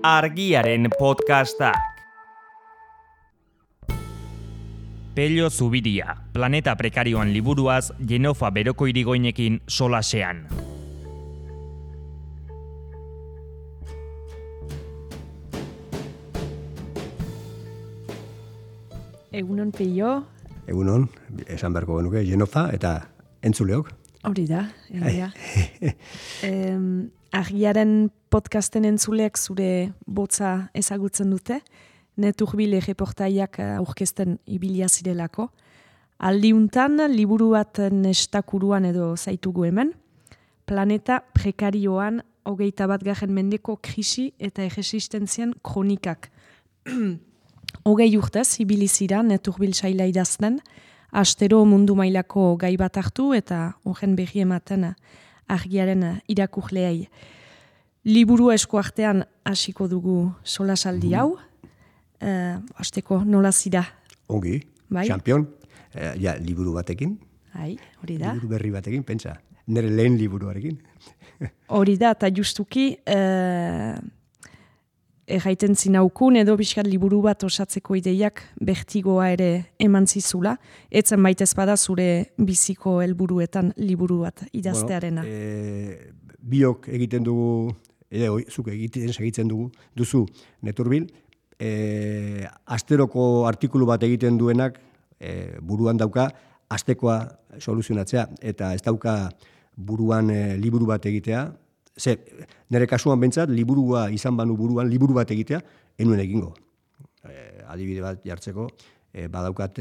Argiaren podcastak. Pello Zubiria, Planeta Prekarioan liburuaz Jenofa Beroko Irigoinekin solasean. Egunon, Pello. Egunon, esan beharko genuke, Jenofa eta entzuleok. Hori da, egia. Argiaren podcasten entzuleak zure botza ezagutzen dute, Neturbile reportaiak aurkezten ibilia zirelako. Aldiuntan, liburu bat nestakuruan edo zaitugu hemen, Planeta Prekarioan 21. mendeko krisi eta erresistentzian kronikak. 20 urtez, ibilizira Neturbil saila idazten, astero mundu mailako gai bat hartu eta horren berri ematen argiaren irakurleei. Liburu esku artean hasiko dugu solasaldi hau. Hasteko nola zira? Ongi, bai? Champion, liburu batekin. Hori da. Liburu berri batekin, pentsa. Nire lehen liburuarekin. Hori da, eta justuki erraiten zinaukun edo bizkat liburu bat osatzeko ideiak bertigoa ere eman zizula. Etzen baitez bada zure biziko helburuetan liburu bat idaztearena. Biok egiten dugu, zuk egiten segitzen duzu Neturbil, asteroko artikulu bat egiten duenak buruan dauka astekoa soluzionatzea, eta ez dauka buruan liburu bat egitea. Nire kasuan bentsat, liburua izan banu buruan, liburu bat egitea, enuen egingo. Adibide bat jartzeko, badaukat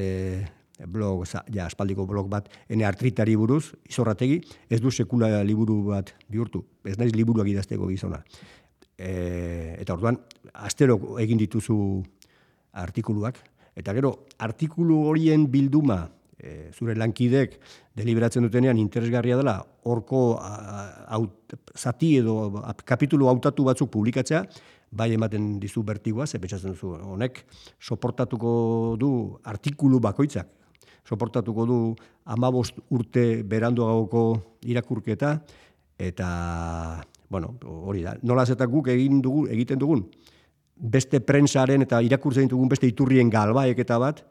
blog, aspaldiko blog bat, ene artritari buruz, Izorrategi, ez du sekula liburu bat bihurtu. Ez naiz liburuak idazteko gizona. Eta orduan, astero egin dituzu artikuluak, eta gero, artikulu horien bilduma, zure lankidek deliberatzen dutenean interesgarria dela, horko zati edo kapitulu hautatu batzuk publikatzea, bai ematen dizu bertigoa, ze pentsatzen duzu, honek soportatuko du artikulu bakoitzak, soportatuko du 15 urte beranduagoko irakurketa, eta, bueno, hori da, nolaz eta guk egiten dugun, beste prentsaren eta irakurtzen dugun beste iturrien galbaeketa bat,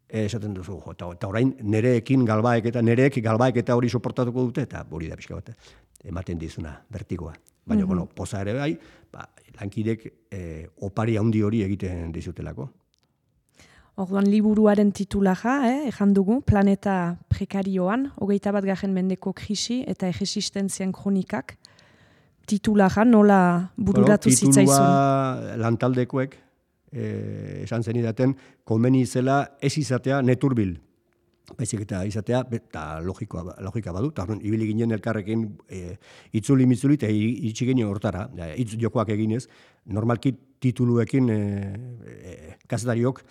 esaten duzu, eta orain nereek galbaeketa hori soportatuko dute, eta hori da pixka bat, ematen dizuna bertigoa. Baina, poza ere bai, lankidek opari handi hori egiten dizutelako. Orduan liburuaren titulaja, ejan dugu, Planeta Prekarioan, 21. mendeko krisi eta erresistentzian kronikak, titulaja nola bururatu zitzaizun? Titulua lantaldekoek, esan zenidaten, komeni zela ez izatea Neturbil. Baizik eta izatea, eta logika badu, eta ibili ginen elkarrekin itzuli-mitzuli, eta iritsi ginen hortara, hitz jokoak eginez, normalki tituluekin kazetariok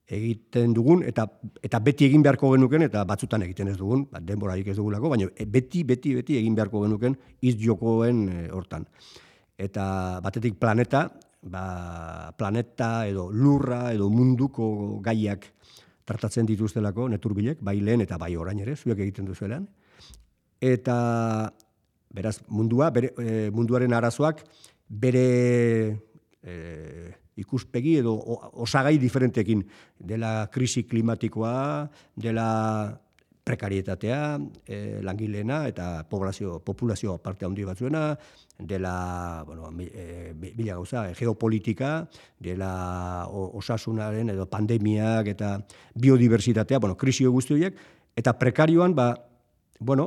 egiten dugun, eta beti egin beharko genuken, eta batzutan egiten ez dugun, denborarik ez dugulako, baina beti egin beharko genuken hitz jokoen hortan. Eta batetik planeta edo lurra edo munduko gaiak tratatzen dituztelako Neturbilek, bai lehen eta bai orain ere, zuek egiten duzuelan. Eta, beraz, munduaren arazoak bere ikuspegi edo osagai diferentekin, dela krisi klimatikoa, dela prekarietatea, langileena eta populazio parte handi batzuena, dela, bila gauza, geopolitika, dela osasunaren edo pandemiak eta biodiversitatea, krisio guzti horiek, eta prekarioan,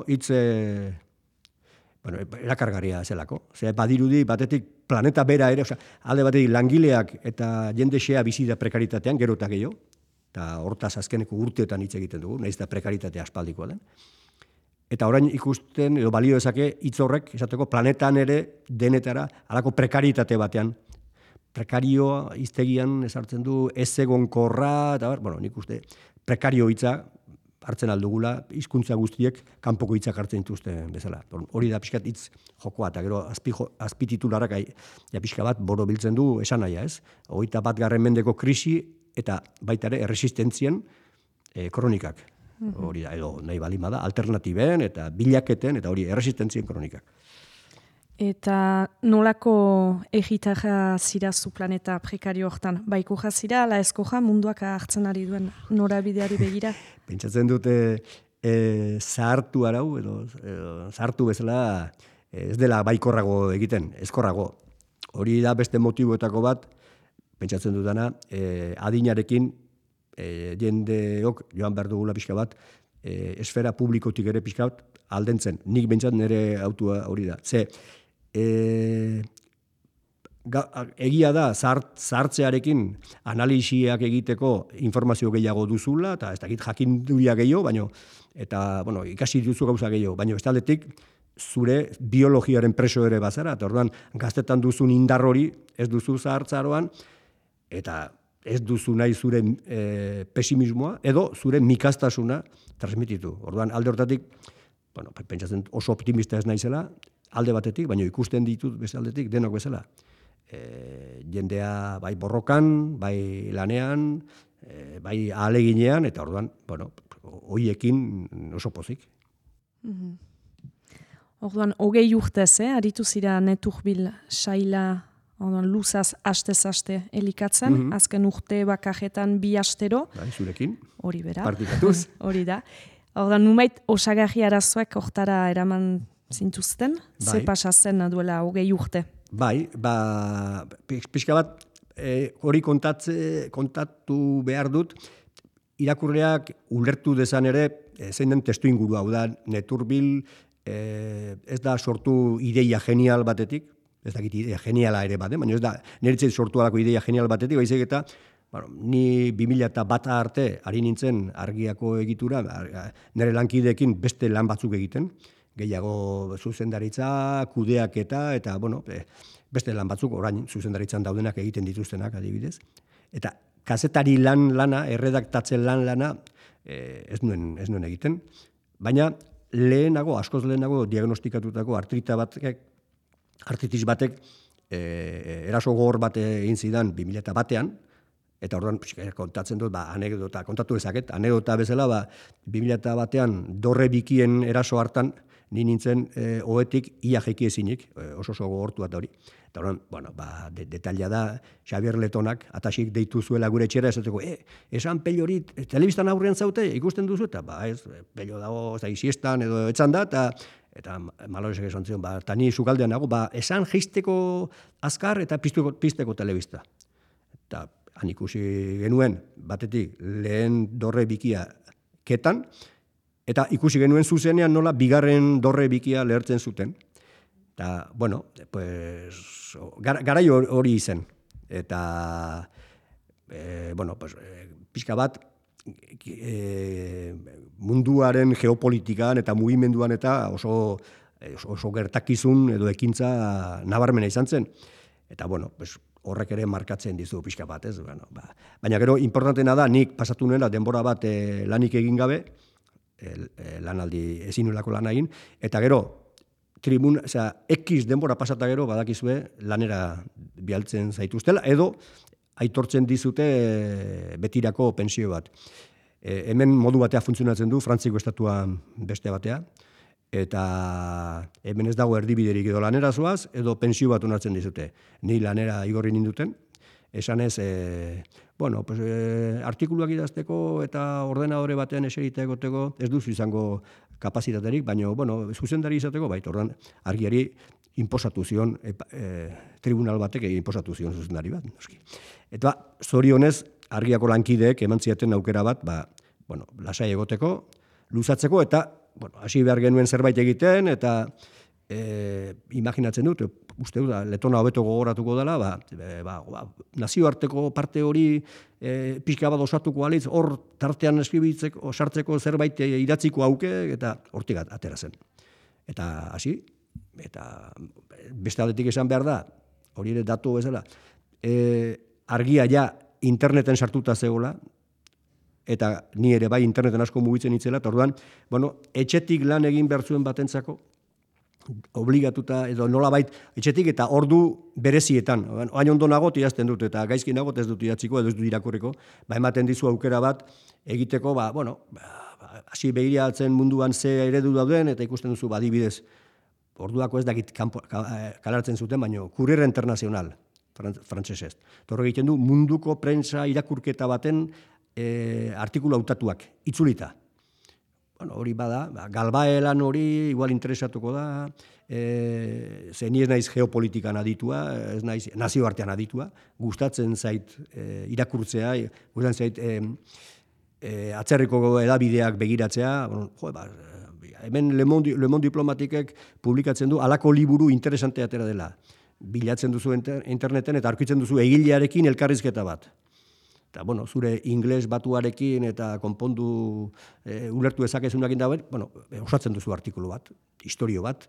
hitz erakargarria zelako. Badirudi, batetik planeta bera ere, alde batetik langileak eta jende xea bizi da prekaritatean, gero eta gehiago, eta hortaz azkeneko urteetan hitz egiten dugu, nahiz eta prekaritatea aspaldikoa den. Eta orain ikusten, edo balio dezake hitz horrek, esateko planetan ere denetara, halako prekaritate batean. Prekarioa hiztegian ezartzen du ez egonkorra, eta nik uste prekario hitza hartzen aldugula, hizkuntza guztiek kanpoko hitzak hartzen dituzten bezala. Hori da pixkat hitz jokoa, eta gero azpititularak pixka bat borobiltzen du esanahia, ez? 21. mendeko krisi eta baita ere erresistentzian kronikak. Hori da, edo nahi balima da, alternatiben eta bilaketen, eta hori erresistentzien kronikak. Eta nolako egitarra zira zu planeta prekario hortan? Baiko jazira, ala eskoja munduak hartzen ari duen norabideari begira? Pentsatzen dute zahartu arau, edo zahartu bezala ez dela baikorrago egiten, ezkorrago. Hori da beste motiboetako bat, pentsatzen dutana, adinarekin jendeok joan behar dugula pixka bat, esfera publikotik ere pixka bat aldentzen. Nik bentsat nire autua hori da. Egia da, zahartzearekin analisiak egiteko informazio gehiago duzula, eta ez dakit jakinduria gehiago, eta ikasi duzu gauza gehiago, baina bestaldetik zure biologiaren preso ere bazara, eta orduan gaztetan duzun indar hori ez duzu zahartzaroan, eta ez duzu nahi zure pesimismoa, edo zure mikastasuna transmititu. Orduan alde hortatik, pentsatzen oso optimista ez naizela, alde batetik, baina ikusten ditut bezaldetik denok bezala. Jendea bai borrokan, bai lanean, bai ahaleginean, eta orduan, hoiekin oso pozik. Orduan, 20 urtez, aritu zira Neturbil saila, luzaz aste-aste elikatzen, azken urte bakajetan 2 astero. Bai, zurekin. Hori bera. Partikatuz. Hori da. Orduan, numait osagarri arazoak hortara eraman zintuzten, ze pasa zen duela 20 urte. Bai, pixka bat, hori kontatu behar dut, irakurleak ulertu dezan ere, zein den testu inguru hau da, Neturbil ez da sortu ideia genial batetik, ez dakit ideia geniala ere bat, baina ez da niretzat sortu alako ideia genial batetik, baizik eta ni 2001 arte ari nintzen argiako egitura, nire lankideekin beste lan batzuk egiten, gehiago zuzendaritza, kudeaketa, eta beste lan batzuk orain zuzendaritzan daudenak egiten dituztenak adibidez. Eta kazetari lana, erredaktatzen lana, ez nuen egiten. Baina askoz lehenago diagnostikatutako artritis batek eraso gogor bat egin zidan 2001an, eta orduan kontatzen dut, anekdota, kontatu ezaket, anekdota bezala, 2001an dorre bikien eraso hartan, ni nintzen ohetik ia jaiki ezinik, oso gogortu bat hori. Eta orduan, detaila da, Xabier Letonak, atasik deitu zuela gure etxera, esateko, esan pello hori, telebistan aurrean zaute, ikusten duzu, eta ez, pello dago, ez da, isiestan, edo etxan da, eta Malorezek esan zion, eta ni sukaldean nago, esan jeisteko azkar eta pizteko telebista. Eta han ikusi genuen, batetik, lehen dorre bikia ketan, eta ikusi genuen zuzenean nola bigarren dorre bikia lehertzen zuten. Eta, garai hori izen. Eta, pixka bat, munduaren geopolitikan eta mugimenduan eta oso gertakizun edo ekintza nabarmena izan zen. Eta, horrek ere markatzen dizu pixka bat, ez? Baina gero, importantena da, nik pasatu nuela denbora bat lanik egin gabe, lanaldi ezinulako lana egin, eta gero, X denbora pasata gero, badakizue, lanera bialtzen zaituztela, edo aitortzen dizute betirako pensio bat. Hemen modu batea funtzionatzen du, Frantziko estatua beste batea, eta hemen ez dago erdibiderik edo lanera zoaz, edo pensio bat onartzen dizute. Ni lanera igorri ninduten, esanez, artikuluak idazteko eta ordenadore batean eserita egoteko ez duzu izango kapazitaterik, baina zuzendari izateko, orduan argiari inposatu zion, tribunal batek inposatu zion zuzendari bat. Eta zorionez, argiako lankideek eman ziaten aukera bat, lasai egoteko, luzatzeko, eta hasi behar genuen zerbait egiten, eta imaginatzen dut, uste dut, Letona hobeto gogoratuko dela, nazioarteko parte hori pixka bat osatuko alitz, hor tartean eskribitzeko, sartzeko zerbait idatziko auke, eta hortik atera zen. Eta hasi, eta beste aldetik esan behar da, hori ere datu bezala, argia ja interneten sartuta zegoela, eta ni ere bai interneten asko mugitzen itzela, eta orduan, etxetik lan egin behar zuen batentzako, obligatuta, edo nolabait, etxetik eta ordu berezietan. Hain ondo nagot idazten dut, eta gaizki nagot ez dut idatziko, edo ez dut irakurriko, ematen dizu aukera bat egiteko, hasi begiratzen munduan ze eredu dauden, eta ikusten duzu, adibidez, orduako ez dakit kalartzen zuten, baina Kurriere Internacional, frantsesez. Torre egiten du munduko prentsa irakurketa baten artikulu hautatuak, itzulita. Bueno, hori bada, galbaelan hori igual interesatuko da, ze ni ez naiz geopolitikan aditua, ez naiz nazioartean aditua, gustatzen zait irakurtzea, gustatzen zait atzerriko edabideak begiratzea, bueno, hemen Le Monde Diplomatikek publikatzen du halako liburu interesante atera dela. Bilatzen duzu interneten eta aurkitzen duzu egilearekin elkarrizketa bat. Eta, bueno, zure ingles batuarekin eta konpondu ulertu dezakezunakin da, bueno, osatzen duzu artikulu bat, historio bat,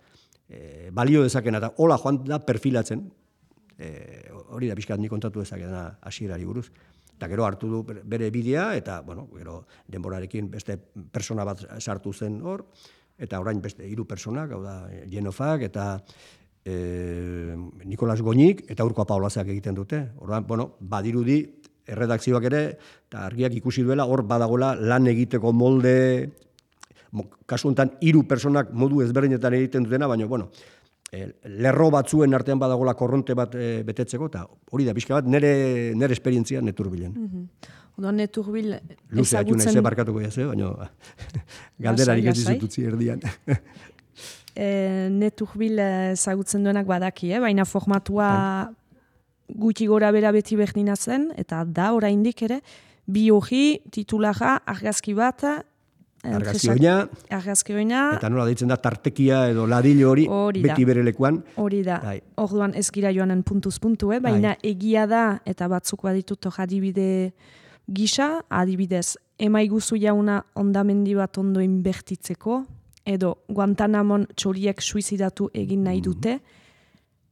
balio dezakena, eta hola joan da perfilatzen, hori da pixkat ni kontatu dezakena hasierari buruz. Eta gero hartu du bere bidea, eta, bueno, gero denborarekin beste persona bat sartu zen hor, eta orain beste 3 personak, hau da, Jenofak, eta Nikolas Goñik, eta Urko Apaolazak egiten dute. Orduan, bueno, badirudi, erredakzioak ere, eta argiak ikusi duela, hor badagola lan egiteko molde, kasu honetan 3 personak modu ezberdinetan egiten dutena, baina, bueno, lerro batzuen artean badagola korronte bat betetzeko, eta hori da, pixka bat, nire esperientzia Neturbilen. Oda Neturbil Luze, hatu nahi ze barkatuko jaz, baina galderarik ez dizututzi erdian. Neturbil ezagutzen duenak badaki, baina formatua gutxi gora bera beti berdina zen, eta da oraindik ere, bi hori titulara argazki bat, argazki oina, eta nola deitzen da tartekia edo ladilo hori beti bere lekuan. Hori da, orduan ez gira joanen puntuz puntu, baina egia da, eta batzuk baditut adibide gisa, adibidez, emaiguzu jauna ondamendi bat ondo inbertitzeko, edo Guantanamon txoriek suizidatu egin nahi dute,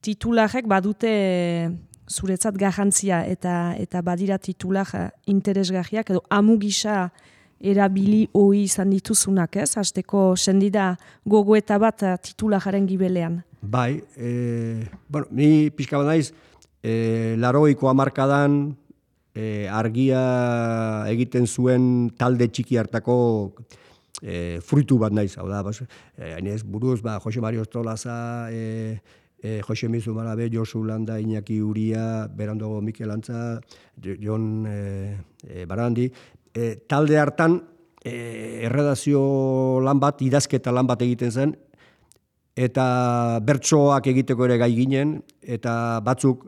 titularek badute zuretzat garrantzia eta badira titular interesgarriak edo amu gisa erabili hoi izan dituzunak, ez? Hasteko sendida gogoeta bat titulararen gibelean. Bai, bueno, ni pixka bat naiz, 80ko hamarkadan argia egiten zuen talde txiki hartako fruitu bat naiz, hau da, hainez buruz, Jose Mario Ostolaza, Jose Mizu Malabe, Josu Landa, Iñaki Uria, berandago Mikel Antza, Jon Barandi. Talde hartan erredazio lan bat, idazketa lan bat egiten zen, eta bertsoak egiteko ere gai ginen, eta batzuk,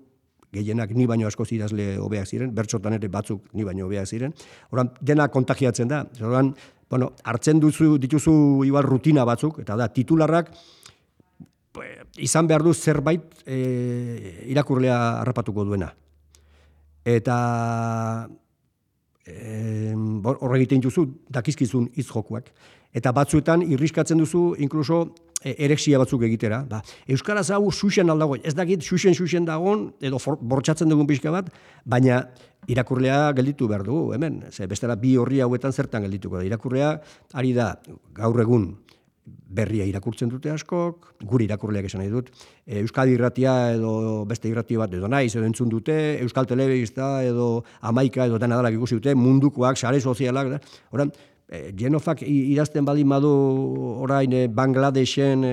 gehienak ni baino askoz idazle hobeak ziren, bertsotan ere batzuk ni baino hobeak ziren. Horan, dena kontagiatzen da. Horan, bueno, hartzen dituzu igual rutina batzuk, eta da, titularrak, izan behar du zerbait irakurlea harrapatuko duena. Eta horre egiten duzu, dakizkizun hitz jokuak. Eta batzuetan irriskatzen duzu, inkluso ereksia batzuk egitera. Euskaraz hau xuxen aldago, ez dakit xuxen dagoen, edo bortxatzen dugun pixka bat, baina irakurlea gelditu behar dugu, hemen. Bestela bi horri hauetan zertan geldituko da. Irakurlea ari da gaur egun berria irakurtzen dute askok, guri irakurleak esan nahi dut, Euskadi irratia edo beste irratia bat edo naiz edo entzun dute, Euskal Telebista edo Amaika edo dena dalak ikusi dute, mundukoak, sare sozialak, oran, Jenofak idazten baldin badu orain Bangladesen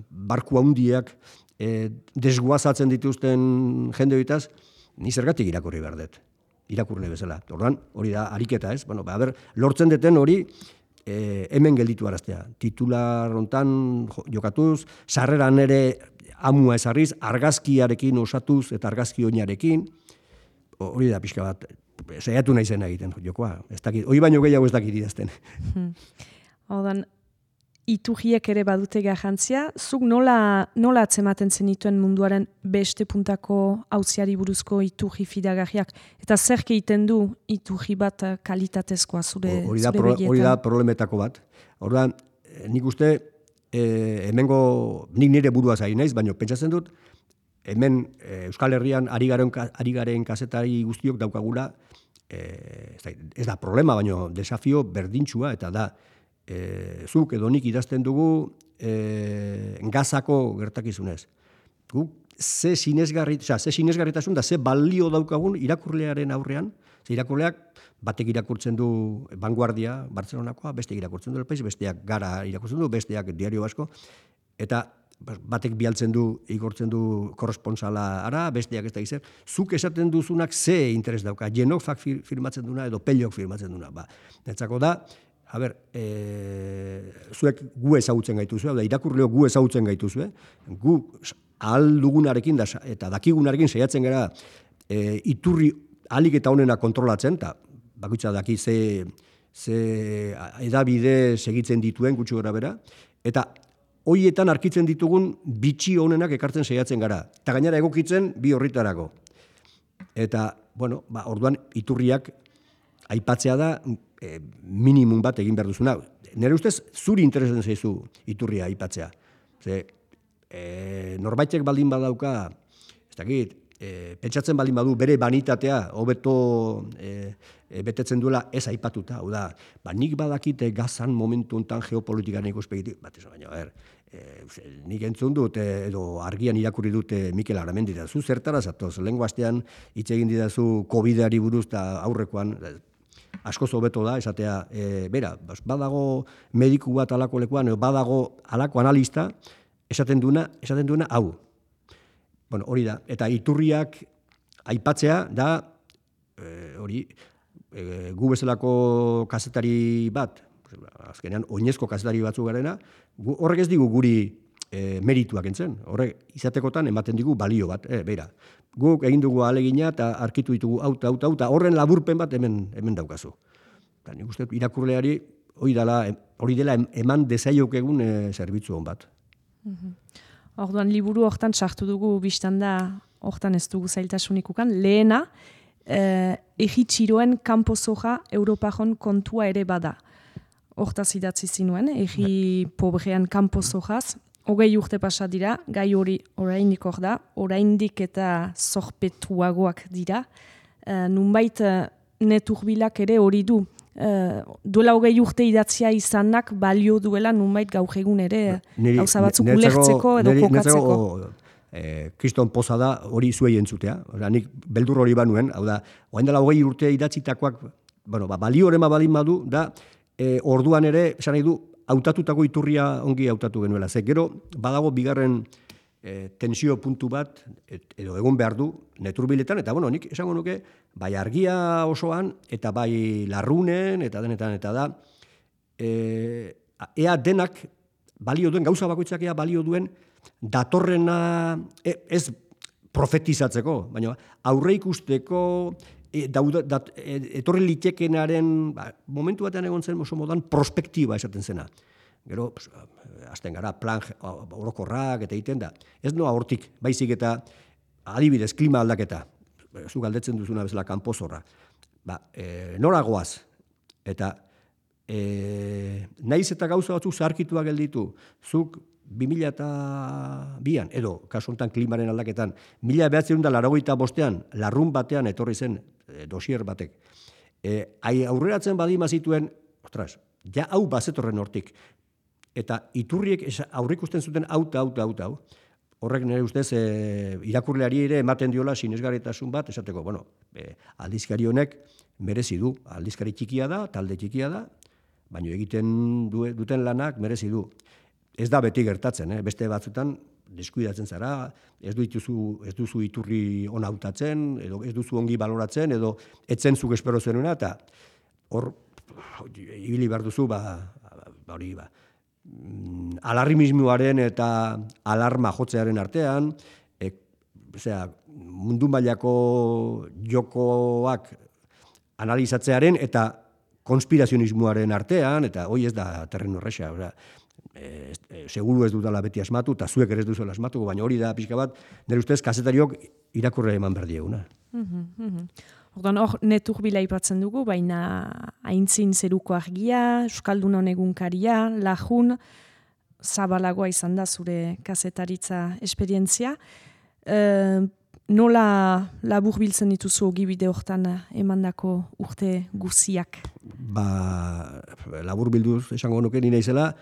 barku handiak desguazatzen dituzten jende bitaz, ni zergatik irakurri behar dut, irakurle bezala. Orduan, hori da ariketa, ez? Bueno, lortzen deten hori hemen gelditu araztea. Titular hontan jokatuz, sarreran ere amua ezarriz, argazkiarekin osatuz eta argazki oinarekin, hori da pixka bat, saiatu nahi zen egiten jokoa. Hori baino gehiago ez dakit idazten. Odan, iturriek ere badute garrantzia, zuk nola atzematen zenituen munduaren beste puntako auziari buruzko iturri fidagarriak, eta zer egiten du iturri bat kalitatezkoa zure begietan? Hori da problemetako bat. Orduan, nik uste, nik nire buruaz ari naiz, baina pentsatzen dut, hemen Euskal Herrian ari garen kazetari guztiok daukagula, ez da problema, baina desafio berdintxua, eta da, zuk edo nik idazten dugu gazako gertakizunez. Ze sinesgarritasun da, ze balio daukagun irakurlearen aurrean, ze irakurleak batek irakurtzen du Vanguardia, Bartzelonakoa, besteak irakurtzen du El País, besteak Gara irakurtzen du, besteak Diario Vasco, eta batek bialtzen du, igortzen du korresponsala ara, besteak ez da izan. Zuk esaten duzunak ze interes dauka, Jenofak firmatzen duna edo Pellok firmatzen duna. Netzako da, zuek gu ezagutzen gaituzue, irakurleo gu ezagutzen gaituzue, gu ahal dugunarekin eta dakigunarekin saiatzen gara iturri ahalik eta honena kontrolatzen, eta bakoitza daki ze edabide segitzen dituen gutxi gora bera, eta hoietan arkitzen ditugun bitxi honenak ekartzen saiatzen gara. Eta gainera egokitzen bi horritarako. Eta, bueno, orduan iturriak aipatzea da minimum bat egin behar duzuna. Nire ustez, zuri interesatzen zaizu iturria aipatzea. Ze, norbaitek baldin badauka, ez dakit, pentsatzen baldin badu bere banitatea hobeto betetzen duela ez aipatuta. Hau da, nik badakite gazan momentu enten geopolitikaren ikuspegitik, baina, nik entzun dut, edo argian irakurri dute Mikel Aramendi da. Zu zertara zatoz, lehengo astean hitz egin didazu COVID-ari buruz eta aurrekoan, askoz hobeto da, esatea, bera, badago mediku bat alako lekuan, badago alako analista, esaten duena hau. Bueno, hori da, eta iturriak aipatzea da, hori, gu bezalako kazetari bat, azkenean oinezko kazetari batzu garena, horrek ez digu guri merituak entzen, horrek izatekotan ematen digu balio bat, beira. Guk egin dugu ahalegina eta arkitu ditugu eta horren laburpen bat hemen daukazu. Eta nik uste irakurleari hori dela eman dezaiokegun zerbitzu hon bat. Orduan liburu hortan sartu dugu biztan da, hortan ez dugu zailtasunik ukan, lehena, egitxiroen kanpozoja Europajon kontua ere bada. Hortaz idatzi zinuen, egi pobrean kanpozojaz, 20 urte pasa dira, gai hori oraindik hor da, oraindik eta zorpetuagoak dira. Nunbait neturbilak ere hori du. Duela 20 urte idatzia izanak balio duela nunbait gaur egun ere gauza batzuk ulertzeko edo kokatzeko. Kriston poza da hori zuei entzutea. Nik beldur hori banuen, hau da, orain dela 20 urte idatzitakoak, balio horrema balin badu, da orduan ere, esan nahi du, hautatutako iturria ongi hautatu genuela. Ze gero, badago bigarren tensio puntu bat, edo egon behar du, neturbiletan, eta bueno, nik esango nuke, bai argia osoan, eta bai larrunen, eta denetan, eta da, ea denak balio duen, gauza bakoitzak ea balio duen, datorrena, ez profetizatzeko, baina aurre ikusteko, etorri litekenaren momentu batean egon zen oso modan prospektiba esaten zena. Gero, azten gara, plan orokorrak eta egiten da. Ez noa hortik, baizik eta adibidez, klima aldaketa. Zu galdetzen duzuna bezala kanpozorra. Nora goaz? Eta naiz eta gauza batzuk zaharkituak gelditu. Zuk 2002an, edo, kasu honetan klimaren aldaketan, 1985an, larrun batean etorri zen dosier batek. Aurreratzen badima zituen, ostras, ja hau bazetorren hortik. Eta iturriek aurrikusten zuten hau. Horrek nire ustez irakurleari ere ematen diola sinesgarritasun bat, esateko, bueno, aldizkari honek merezi du. Aldizkari txikia da, talde txikia da, baina egiten duten lanak merezi du. Ez da beti gertatzen, beste batzutan deskuidatzen zara, ez duzu iturri ona hautatzen, edo ez duzu ongi baloratzen, edo etzen zuk espero zenuna, eta hor, ibili behar duzu, alarmismoaren eta alarma jotzearen artean, mundu mailako jokoak analizatzearen eta konspirazionismoaren artean, eta hoi ez da terreno erresa, seguru ez dutala beti asmatu, eta zuek ere ez duzuela asmatu, baina hori da pixka bat, nire ustez kazetariok irakurre eman behar dieguna. Orduan hor neturbila aipatzen dugu, baina aintzin zeruko argia, Euskaldunon egunkaria, lajun, zabalagoa izan da zure kazetaritza esperientzia. Nola labur biltzen dituzu ogibide hortan emandako urte guziak? Labur bilduz esango nuke nina izela,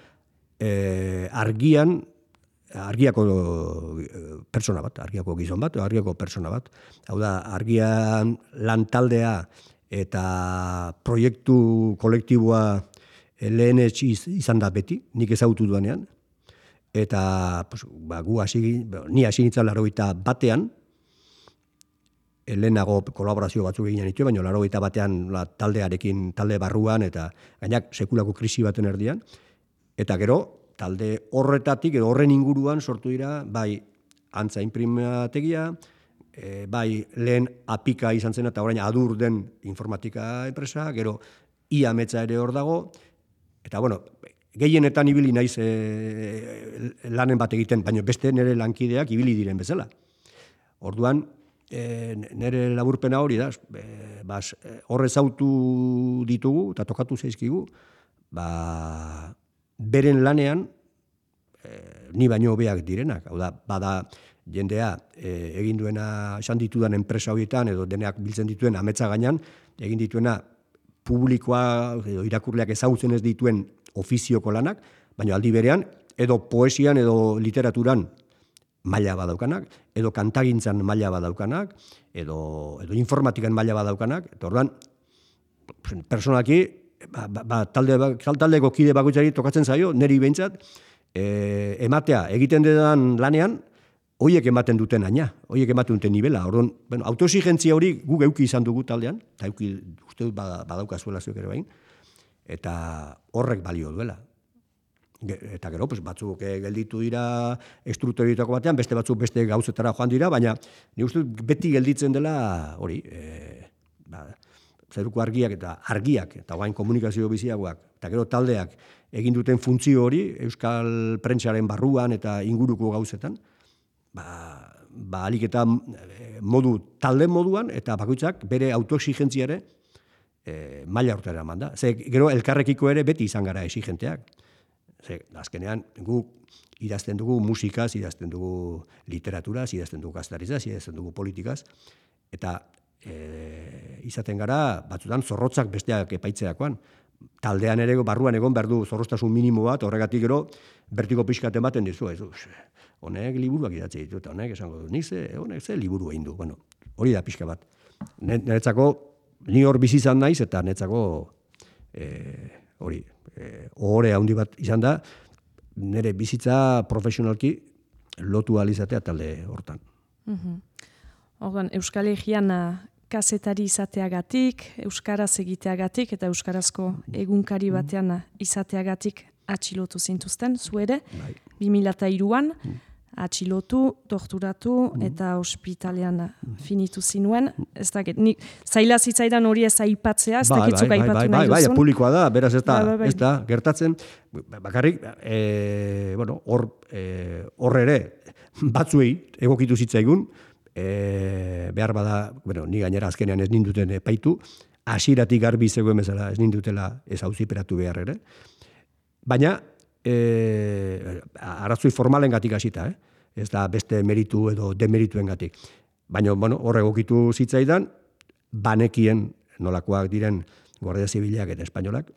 argiako pertsona bat, argiako gizon bat, argiako pertsona bat. Hau da, argian lantaldea eta proiektu kolektiboa lehen izan da beti, nik ezagutu duanean, eta ni hasi nintzen 81, lehenago kolaborazio batzuk egin ditu, baina 81 talde barruan, eta gainak sekulako krisi baten erdian, eta gero, talde horretatik, edo horren inguruan sortu dira, bai antza inprimategia, bai lehen apika izan zen, eta orain adur den informatika enpresa, gero iametza ere hor dago, eta bueno, gehienetan ibili naiz lanen bat egiten, baina beste nire lankideak ibili diren bezala. Orduan, nire laburpena hori da, horrez autu ditugu, eta tokatu zaizkigu, beren lanean, ni baino hobeak direnak. Hau da, bada jendea egin duena esan ditudan enpresa horietan, edo deneak biltzen dituen ametsa gainan, egin dituena publikoa, edo irakurleak ezagutzen ez dituen ofizioko lanak, baina aldi berean, edo poesian edo literaturan maila badaukanak, edo kantagintzan maila badaukanak, edo informatikan maila badaukanak, eta orduan, personalki, taldeko kide bakoitzari tokatzen zaio, niri behintzat, ematea egiten dedan lanean, horiek ematen duten aina, horiek ematen duten nivela. Orduan, autoexigentzia hori guk euki izan dugu taldean, eta uste dut badaukazuela zuek ere bain, eta horrek balio duela. Eta gero, batzuk gelditu dira estrukturitako batean, beste batzuk beste gauzetara joan dira, baina ni uste dut beti gelditzen dela hori, zeruko argiak, eta guain komunikazio biziagoak, eta gero taldeak egin duten funtzio hori, euskal prentsaren barruan eta inguruko gauzetan, alik eta talde moduan, eta bakoitzak bere autoexigentziare maila hortara eman da. Gero elkarrekiko ere beti izan gara exigenteak. Azkenean, guk idazten dugu musikaz, idazten dugu literaturaz, idazten dugu gaztarizaz, idazten dugu politikaz, eta izaten gara, batzutan zorrotzak besteak epaitzeakoan. Taldean ere barruan egon behar du zorroztasun minimo bat, horregatik gero bertiko pixkat ematen dizu, honek liburuak idatzi ditu, eta honek esango du, honek ze liburu egin du. Bueno, hori da pixka bat. Niretzako, ni hor bizi izan naiz, eta niretzako hori, ohore handi bat izan da, nire bizitza profesionalki lotu alizatea talde hortan. Orduan, Euskal Herrian kazetari izateagatik, euskaraz egiteagatik eta euskarazko egunkari batean izateagatik atxilotu zintuzten, zu ere, 2003an, atxilotu, torturatu eta ospitalean finitu zinuen. Ez dakit, zaila zitzaidan hori ez aipatzea, ez dakitzuk aipatu nahi duzun. Publikoa da, beraz ez da, gertatzen. Bakarrik, hor ere, batzuei egokitu zitzaigun, behar bada, ni gainera azkenean ez ninduten epaitu, hasieratik garbi zegoen bezala ez nindutela ez auziperatu behar ere. Baina, arrazoi formalen gatik hasita, ez da beste meritu edo demerituen gatik. Baina, hor egokitu zitzaidan, banekien nolakoak diren Guardia Zibilak eta Espainolak,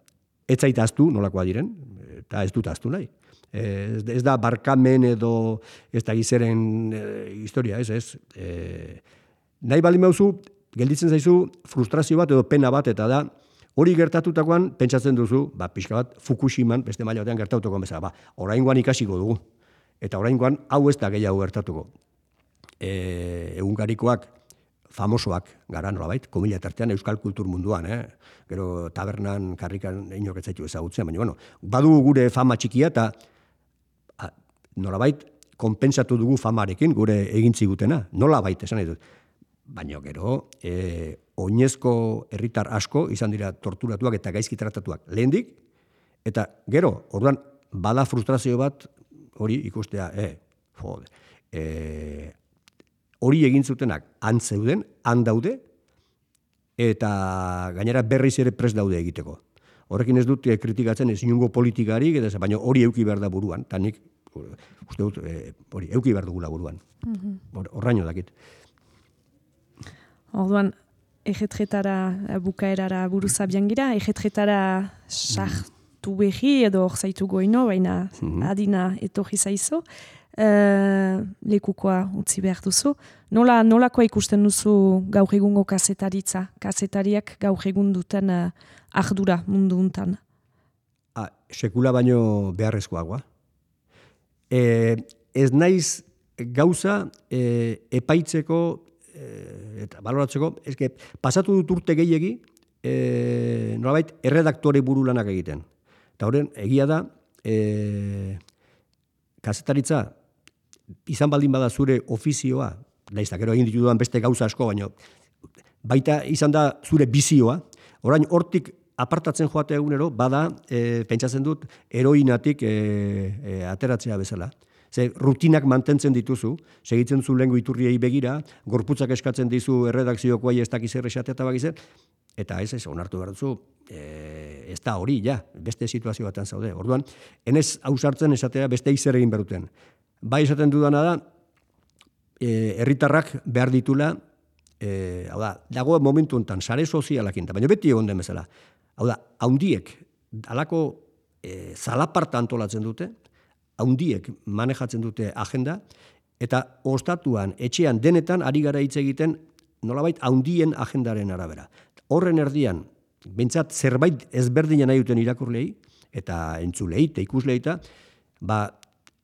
ez zaita aztu nolakoak diren, eta ez dut aztu nahi. Ez da barkamen edo ez da gizeren historia, ez. Nahi baldin mauzu, gelditzen zaizu frustrazio bat edo pena bat, eta da, hori gertatutakoan pentsatzen duzu, pixka bat Fukushiman, beste maila batean gertatuko bezala, oraingoan ikasiko dugu. Eta oraingoan hau ez da gehiago gertatuko. Egunkarikoak famosoak gara nolabait, komila tartean euskal kultur munduan, gero tabernan, karrikan inok ez zaitu ezagutzen, baina badugu gure fama txikia eta nolabait konpentsatu dugu famarekin gure egintzi gutena, nolabait esan dut. Baina gero, oinezko herritar asko izan dira torturatuak eta gaizki tratatuak lehendik, eta gero, orduan, bada frustrazio bat, hori ikustea, hori egin zutenak antzeuden, handaude, eta gainera berriz ere prest daude egiteko. Horrekin ez dut kritikatzen ez inungo politikarik, baina hori euki behar da buruan, eta nik, uste dut, hori euki behar dugula buruan. Horraino dakit. Orduan, ejetretara bukaerara buruzabian gira, ejetretara sartu behi edo hor zaitu goino, baina adina etorri zaizo. lekukoa utzi behar duzu. Nolakoa ikusten duzu gaur egungo kazetaritza? Kazetariak gaur egun duten ardura mundu untan? Sekula baino beharrezkoagoa. Ez naiz gauza epaitzeko eta baloratzeko, pasatu dut urte gehiegi, nolabait erredaktore buru lanak egiten. Eta horren, egia da, kazetaritza izan baldin bada zure ofizioa, nahiz gero egin ditudan beste gauza asko, baino baita izan da zure bizioa, orain hortik apartatzen joate egunero, bada, pentsatzen dut, heroinatik ateratzea bezala. Ze rutinak mantentzen dituzu, segitzen zu lehengo iturriei begira, gorputzak eskatzen dizu erredakziokoai ez dakiz erresatea eta bakizer, eta ez, onartu behar duzu, ez da hori, ja, beste situazio batean zaude. Orduan, enez hausartzen esatea beste izer egin beruten. Bai esaten dudana da, herritarrak behar ditula, hau da, dago momentu honetan, sare sozialakin, baina beti egon den bezala. Hau da, haundiek, halako zalaparta antolatzen dute, haundiek manejatzen dute agenda, eta ostatuan, etxean, denetan, ari gara hitz egiten, nolabait, haundien agendaren arabera. Horren erdian, bentsat zerbait ezberdina nahi duten irakurlei, eta entzulei, eta ikuslei,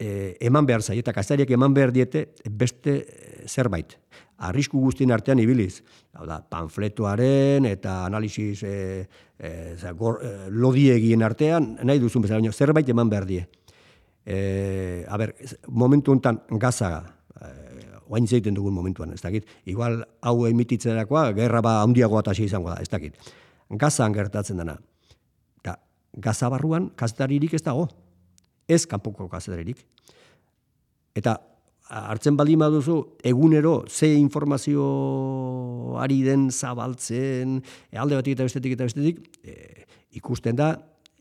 eman behar zai, eta kazariak eman behar diete beste zerbait. Arrisku guztien artean ibiliz. Hau da, panfletoaren eta analisis lodiegien artean, nahi duzun bezala, zerbait eman behar die. Momentu honetan gaza, oain zeiten dugun momentuan, ez dakit. Igual hau emititzerakoa, gerra handiagoa eta izango da, ez dakit. Gazan gertatzen dena. Eta gaza barruan kazetaririk ez dago. Ez kanpoko kazetaririk. Eta hartzen baldin baduzu, egunero ze informazio ari den zabaltzen, alde batik eta bestetik, ikusten da,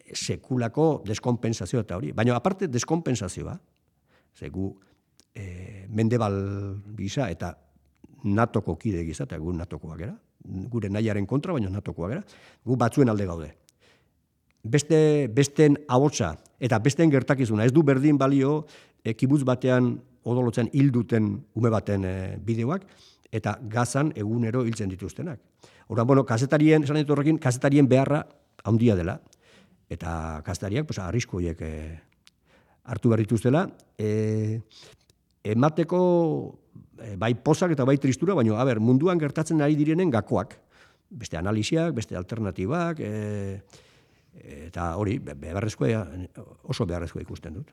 sekulako deskonpensazioa eta hori. Baina aparte deskonpensazioa, gu Mendebal gisa eta NATOko kide gisa, eta gu NATOkoak gara, gure nahiaren kontra, baina NATOkoak gara, gu batzuen alde gaude. Besten ahotsa eta besten gertakizuna, ez du berdin balio kibutz batean odolotzen hilduten ume baten bideoak, eta gazan egunero hiltzen dituztenak. Horren, kazetarien, esan ditu horrekin, kazetarien beharra handia dela, eta kazetariak arrisku horiek hartu behar dituztela, emateko bai pozak eta bai tristura, baina munduan gertatzen ari direnen gakoak, beste analisiak, beste alternatibak, eta hori, oso beharrezkoa ikusten dut.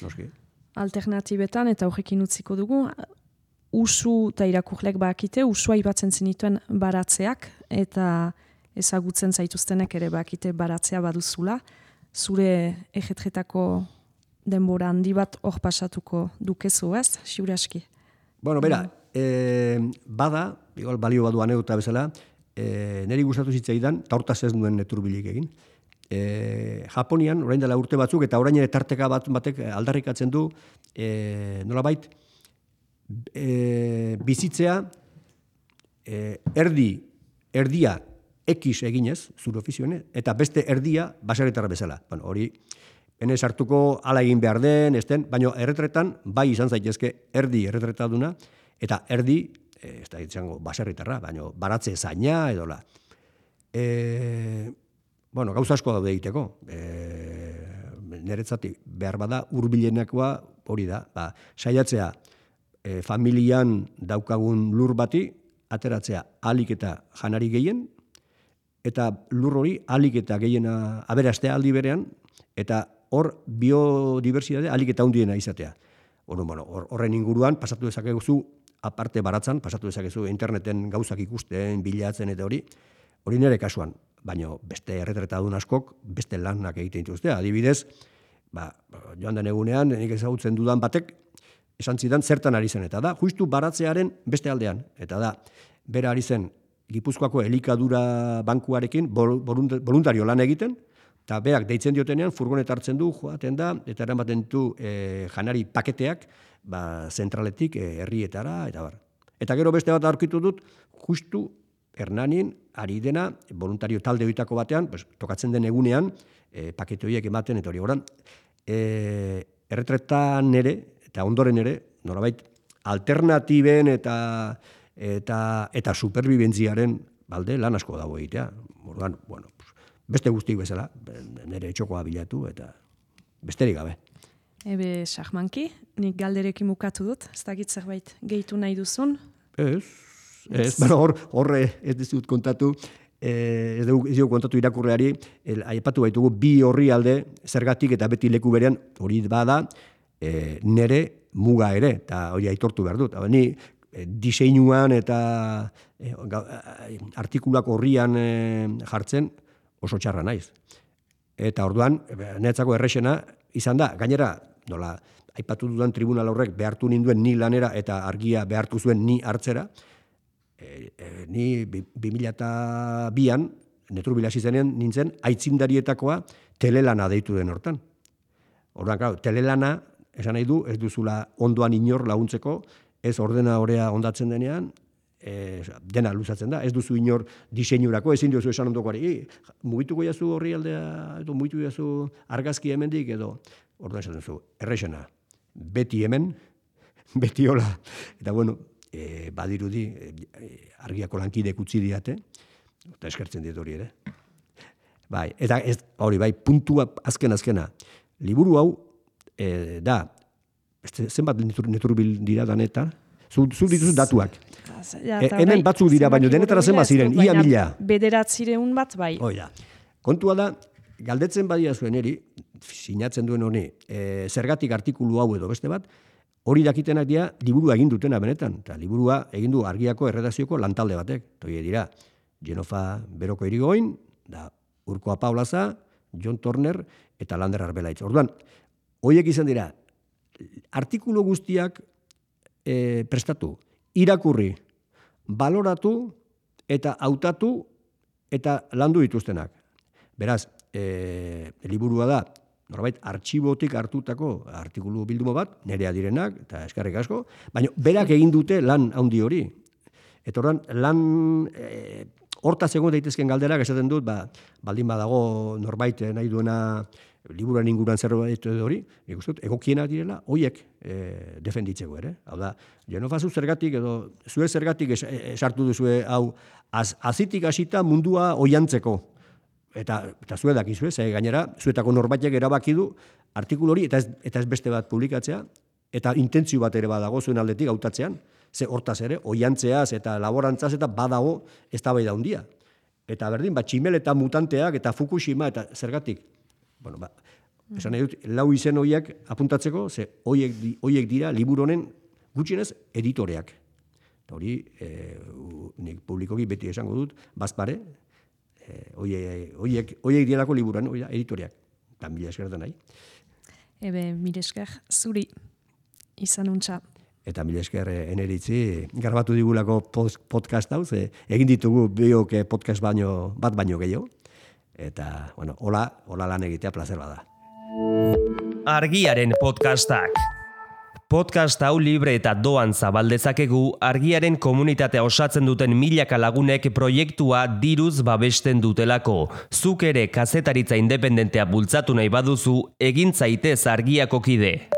Noski. Alternatibetan, eta horrekin utziko dugu, usu eta irakurlek bakite, usua ibatzen zinituen baratzeak, eta ezagutzen zaituztenek ere bakite baratzea baduzula, zure ejetretako denbora handi bat hor pasatuko dukezu, ez? Siuraski. Bera, bada, balio badu anedota bezala, niri gustatu zitzaidan, eta hortaz ez nuen neturbilik egin, Japonian, orain dela urte batzuk, eta orain ere tarteka batek aldarrikatzen du, nolabait, bizitzea, erdia X eginez, zure ofizioen, eta beste erdia baserritarra bezala. Hori, enez hartuko ala egin behar den, baina erretretan, bai izan zaitezke erdi erretretaduna, eta erdi, ez da izango baserritarra, baina baratze zaina edola. Gauza asko daude egiteko. Niretzat behar bada hurbilenakoa hori da. Saiatzea familian daukagun lur bati, ateratzea alik eta janari gehien, eta lur hori alik eta gehiena aberastea aldi berean, eta hor biodibertsitate alik eta hundiena izatea. Horren inguruan, pasatu dezakezu, aparte baratzan, pasatu dezakezu interneten gauzak ikusten, bilatzen eta hori nire kasuan. Baina beste erretretadun askok, beste lanak egiten dituzte. Adibidez, joan den egunean, nik ezagutzen dudan batek, esan zidan zertan ari zen, eta da, justu baratzearen beste aldean. Eta da, bera ari zen Gipuzkoako elikadura bankuarekin voluntario lan egiten, eta berak deitzen diotenean, furgonet hartzen du, joaten da, eta eramaten du janari paketeak, zentraletik herrietara, eta bar. Eta gero beste bat aurkitu dut, justu Hernanin, ari dena, voluntario talde horietako batean, tokatzen den egunean, pakete horiek ematen, eta hori. Erretretan ere, eta ondoren ere, norabait, alternatiben eta superbibentziaren balde lan asko dago egitea. Orduan, bueno, beste guztik bezala, nire txokoa bilatu eta besterik gabe. Ebe, Sahmanki, nik galderekin mukatu dut, ez dakit zerbait gehitu nahi duzun? Ez, horre ez dizut kontatu, ez dugu kontatu irakurreari, aipatu baitugu bi orrialde zergatik eta beti leku berean hori bada nere muga ere, eta hori aitortu behar dut. Ni diseinuan eta artikulak horrian jartzen oso txarra naiz. Eta orduan, netzako errexena izan da, gainera, nola, aipatu dudan tribunal horrek behartu ninduen ni lanera eta argia behartu zuen ni hartzera, ni 2002an, Netrubila hasi zenean nintzen, aitzindarietakoa telelana deitu den hortan. Orduan, claro, telelana, esan nahi du, ez duzula ondoan inor laguntzeko, ez ordenadorea ondatzen denean, dena luzatzen da, ez duzu inor diseinurako, ezin duzu esan ondokoari, mugituko jazu horri aldea, edo mugitu jazu argazki hemendik, edo orduan esaten zu, errexena, beti hemen, beti hola, eta bueno, badirudi, argiako lankidek utzi diate, eta eskertzen dit hori ere. Bai, eta hori, bai, puntua azkena. Liburu hau, da, zenbat neturbil dira daneta, zu dituzu datuak. Hemen batzuk dira, baino denetara zenbat ziren, ia 1000. Bederatzireun bat, bai. Oida, kontua da, galdetzen badia zuen eri, sinatzen duen honi, zergatik artikulu hau edo beste bat, hori dakitenak dira, liburua egin dutena benetan. Eta liburua egin du argiako erredazioko lantalde batek. Toi dira, Genofa Beroko Irigoin, da Urko Apaolaza, John Turner eta Lander Arbelaitz. Orduan, horiek izan dira, artikulu guztiak prestatu, irakurri, baloratu eta hautatu eta landu dituztenak. Beraz, liburua da, norbait, artxibotik hartutako artikulu bildumo bat, nerea direnak, eta eskerrik asko, baina berak egin dute lan handi hori. Eta orduan, lan hortaz egon daitezken galderak esaten dut, baldin badago norbait nahi duena liburuan inguruan zerbait hori, nik uste dut, egokienak direla, hoiek defenditzeko ere. Hau da, Genofa zu zergatik edo zue zergatik esartu duzue hau azitik hasita mundua oiantzeko. Eta zue dakizue, gainera, zuetako norbaitek erabaki du artikulu hori, eta ez beste bat publikatzea, eta intentzio bat ere badago zuen aldetik hautatzean, ze hortaz ere, oiantzeaz eta laborantzaz eta badago eztabaida handia. Eta berdin, tximel eta mutanteak eta Fukushima eta zergatik. Bueno, esan nahi dut, lau izen horiek apuntatzeko, ze horiek dira liburu honen gutxienez editoreak. Eta hori, nik publikoki beti esango dut, bazpare, horiek direlako liburuan, editoreak. Eta mila esker da nahi. Ebe, mila esker, zuri izan untxa. Eta mila esker eneritzi, garbatu digulako podcast hau, egin ditugu biok podcast bat baino gehiago. Eta, bueno, hola lan egitea plazer bada. Argiaren podcastak. Podcast hau libre eta doan zabaldezakegu Argiaren komunitatea osatzen duten milaka lagunek proiektua diruz babesten dutelako. Zuk ere kazetaritza independentea bultzatu nahi baduzu, egin zaitez Argiako kide.